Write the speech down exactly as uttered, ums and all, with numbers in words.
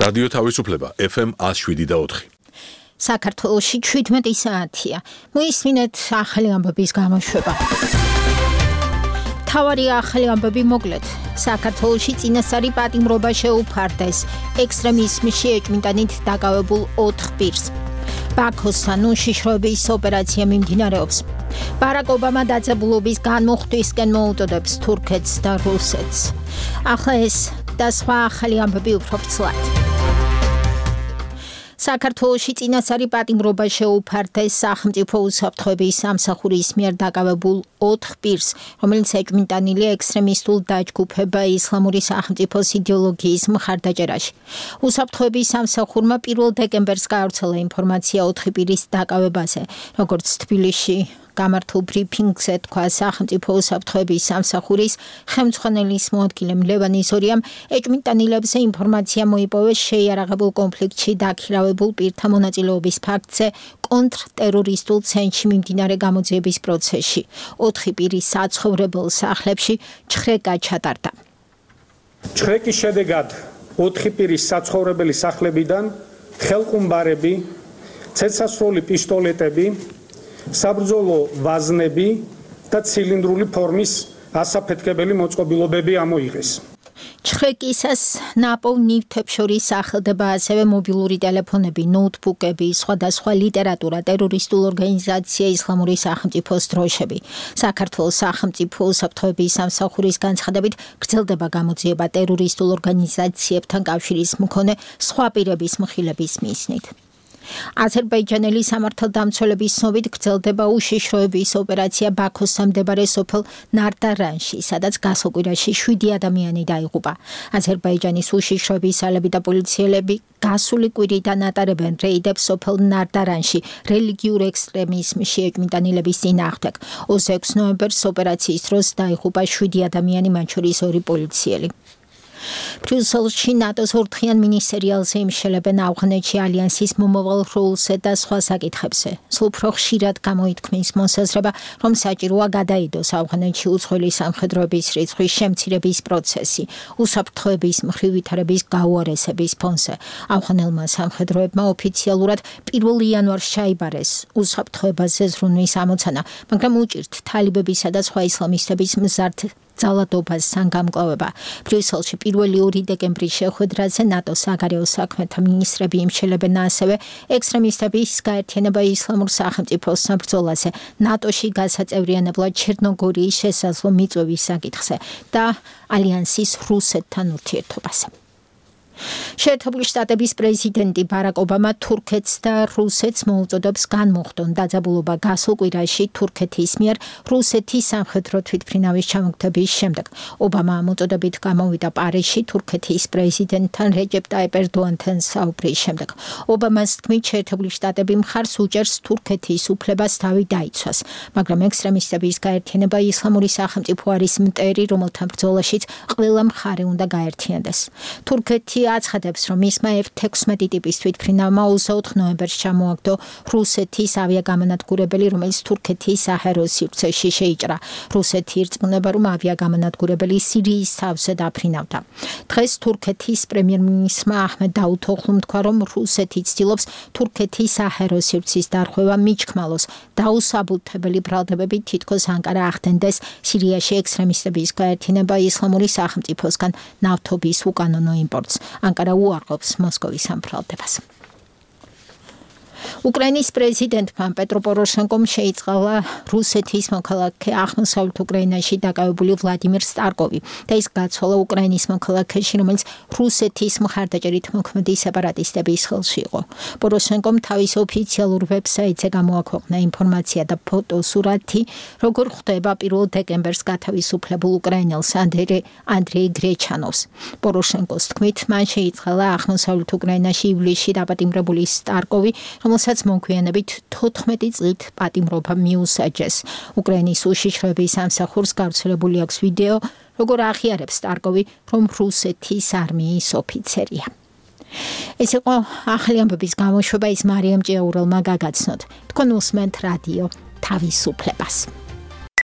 რადიო თავისუფლება ეფ ემ one oh seven და four. საქართველოში შვიდმეტი საათია. მოისმინეთ ახალი ამბების გამოშვება. თავარი ახალი ამბები მოკლედ. საქართველოში წინასწარი პატიმრობა შეუფარდეს. ექსტრემიზმში ეჭვმიტანით დაკავებულ ოთხ პირს. ბაქოსთან უშიშროების ოპერაცია მიმდინარეობს. ბარაკ ობამა დაძაბულობის განმუხტვისკენ მოუწოდებს თურქეთს და რუსეთს. ახლა ეს და სხვა ახალი ამბები უფრო ფრთლად. საქართველოში წინასწარი პატიმრობა შეუფარდეს სახელმწიფო უსაფრთხოების სამსახურის მიერ დაკავებულ ოთხ პირს, რომელიც ეჭვმიტანილია ექსტრემისტულ დაჯგუფება ისლამური სახელმწიფოს იდეოლოგიის მხარდაჭერაში. უსაფრთხოების სამსახურმა პირველ დეკემბერს გაავრცელა ინფორმაცია ოთხი პირის დაკავებაზე, როგორც თბილისში გამართულ ბრიფინგზე თქვა სახელმწიფო უსაფრთხოების სამსახურის ხელმძღვანელის მოადგილემ ლევან იზორიამ, ეჭვმიტანილებს ინფორმაცია მოიპოვეს შეიარაღებულ კონფლიქტში დაქირავებულ პირთა მონაწილეობის ფაქტზე კონტრტერორისტულ ცენტრში მიმდინარე გამოძიების პროცესში. ოთხი პირის საცხოვრებელ სახლებში ჩხრეკა ჩატარდა. ჩხრეკის შედეგად ოთხი პირის საცხოვრებელი სახლებიდან ხელყუმბარები, ცეცხლსასროლი პისტოლეტები, საბრძოლო ვაზნები და ცილინდრული ფორმის ასაფეთქებელი მოწყობილობები ამოიღეს. ჩხრეკისას ნაპოვნ ნივთებს შორის სახელდება ასევე მობილური ტელეფონები, ნოუთბუქები, სხვადასხვა ლიტერატურა, ტერორისტულ ორგანიზაცია ისლამური სახელმწიფოს დროშები. საქართველოს სახელმწიფო უსაფრთხოების სამსახურის განცხადებით გრძელდება გამოძიება ტერორისტულ ორგანიზაციებთან კავშირის მქონე სხვა პირების მხილების მიზნით. აზერბაიჯანელი სამართალდამცველების ცნობით გრძელდება უშიშროების ოპერაცია ბაქოსთან მდებარე სოფელ ნარდარანში, სადაც გასულ კვირაში შვიდი ადამიანი დაიღუპა. აზერბაიჯანის უშიშროების ძალები და პოლიციელები გასული კვირიდან ატარებენ რეიდებს სოფელ ნარდარანში რელიგიურ ექსტრემიზმში ეჭვმიტანილების წინააღმდეგ. ოცდაექვსი ნოემბერს ოპერაციის დროს დაიღუპა შვიდი ადამიანი, მათ შორის ორი პოლიციელი. ბრიუსელში ნატოს ორთხიან მინისტერიალზე იმშელებენ ავღანეთში ალიანსის მომავალ როლზე და სხვა საკითხებზე. სულ უფრო ხშირად გამოითქმის მოსაზრება, რომ საჭიროა გადაიდოს ავღანეთში უცხოელი სამხედროების რიცხვის შემცირების პროცესი, უსაფრთხოების მხრივ ვითარების გაუარესების ფონზე. ავღანელმა სამხედროებმა ოფიციალურად პირველ იანვარს ჩაიბარეს უსაფრთხოებაზე ზრუნვის ამოცანა, მაგრამ უჭირთ თალიბებისა და სხვა ისლამისტების მზარდ ძალადობას სანგამკლავება. ბრიუსელში პირველი ორი დეკემბრის შეხვედრაზე ნატოს საგარეო საქმეთა მინისტრები იმშელებენ ასევე ექსტრემისტების გაერთიანება ისლამურ სახელმწიფოს საბრძოლაზე, ნატოში გასაწევრიანებლად ჩერნოგორიის შესაძლო მიწვევის საკითხზე და ალიანსის რუსეთთან ურთიერთობაზე. შეერთებული შტატების პრეზიდენტი ბარაკ ობამა თურქეთს და რუსეთს მოუწოდებს განმუხტონ დაძაბულობა გასულ კვირაში თურქეთის მიერ რუსეთის სამხედრო თვითმფრინავის ჩამოგდების შემდეგ. ობამა ამ მოწოდებით გამოვიდა პარიზში თურქეთის პრეზიდენტთან რეჯეპ ტაიპ ერდოანთან საუბრის შემდეგ. ობამას თქმით, შეერთებული შტატები მხარს უჭერს თურქეთის უფლებას თავი დაიცვას, მაგრამ ექსტრემისტების გაერთიანება ისლამური სახელმწიფო არის მტერი, რომელთა ბრძოლაშიც ყველა მხარე უნდა გაერთიანდეს. თურქეთი აცხადებს, რომ მისმა ეფ ექვსმეტი ტიპის თვითმფრინავმა ოცდაოთხ ნოემბერს ჩამოაგდო რუსეთის ავიაგამანადგურებელი, რომელიც თურქეთის საჰაერო სივრცეში შეიჭრა. რუსეთი ირწმუნება, რომ ავიაგამანადგურებელი სირიის თავზე დაფრინავდა. დღეს თურქეთის პრემიერ-მინისტრმა აჰმედ დაუთოღლუმ თქვა, რომ რუსეთი ცდილობს თურქეთის საჰაერო სივრცის დარღვევა მიჩქმალოს. დაუსაბუთებელი ბრალდებები თითქოს ანკარა ახდენდეს სირიაში ექსტრემისტების გაერთიანება ისლამური სახელმწიფოსგან ნავთობის უკანონო იმპორტს. ანკარა უარყოფს მოსკოვის ამ ბრალდებას. უკრაინის პრეზიდენტმა პეტრო პოროშენკომ შეიწყალა რუსეთის მოქალაქე აღმოსავლეთ უკრაინაში დაკავებული ვლადიმერ სტარკოვი და ის გაცვალა უკრაინის მოქალაქეში, რომელიც რუსეთის მხარდაჭერით მოქმედი სეპარატისტების ხელში იყო. პოროშენკომ თავის ოფიციალურ ვებსაიტზე გამოაქვეყნა ინფორმაცია და ფოტოსურათი, როგორ ხვდება პირველ დეკემბერს გათავისუფლებულ უკრაინელს ანდრეი გრეჩანოვს. პოროშენკოს თქმით, მან შეიწყალა აღმოსავლეთ უკრაინაში ივლისში დაპატიმრებული სტარკოვი, რომელსაც მოგვიანებით თოთხმეტი წლით პატიმრობა მიუსაჯეს. უკრაინის უშიშროების სამსახურს გავრცელებული აქვს ვიდეო, როგორ აღიარებს სტარკოვი, რომ რუსეთის არმიის ოფიცერია. ეს იყო ახალი ამბების გამოშვება, ის მარიამ ჭიაურელმა გაგაცნოთ. თქვენ უსმენთ რადიო თავისუფლებას.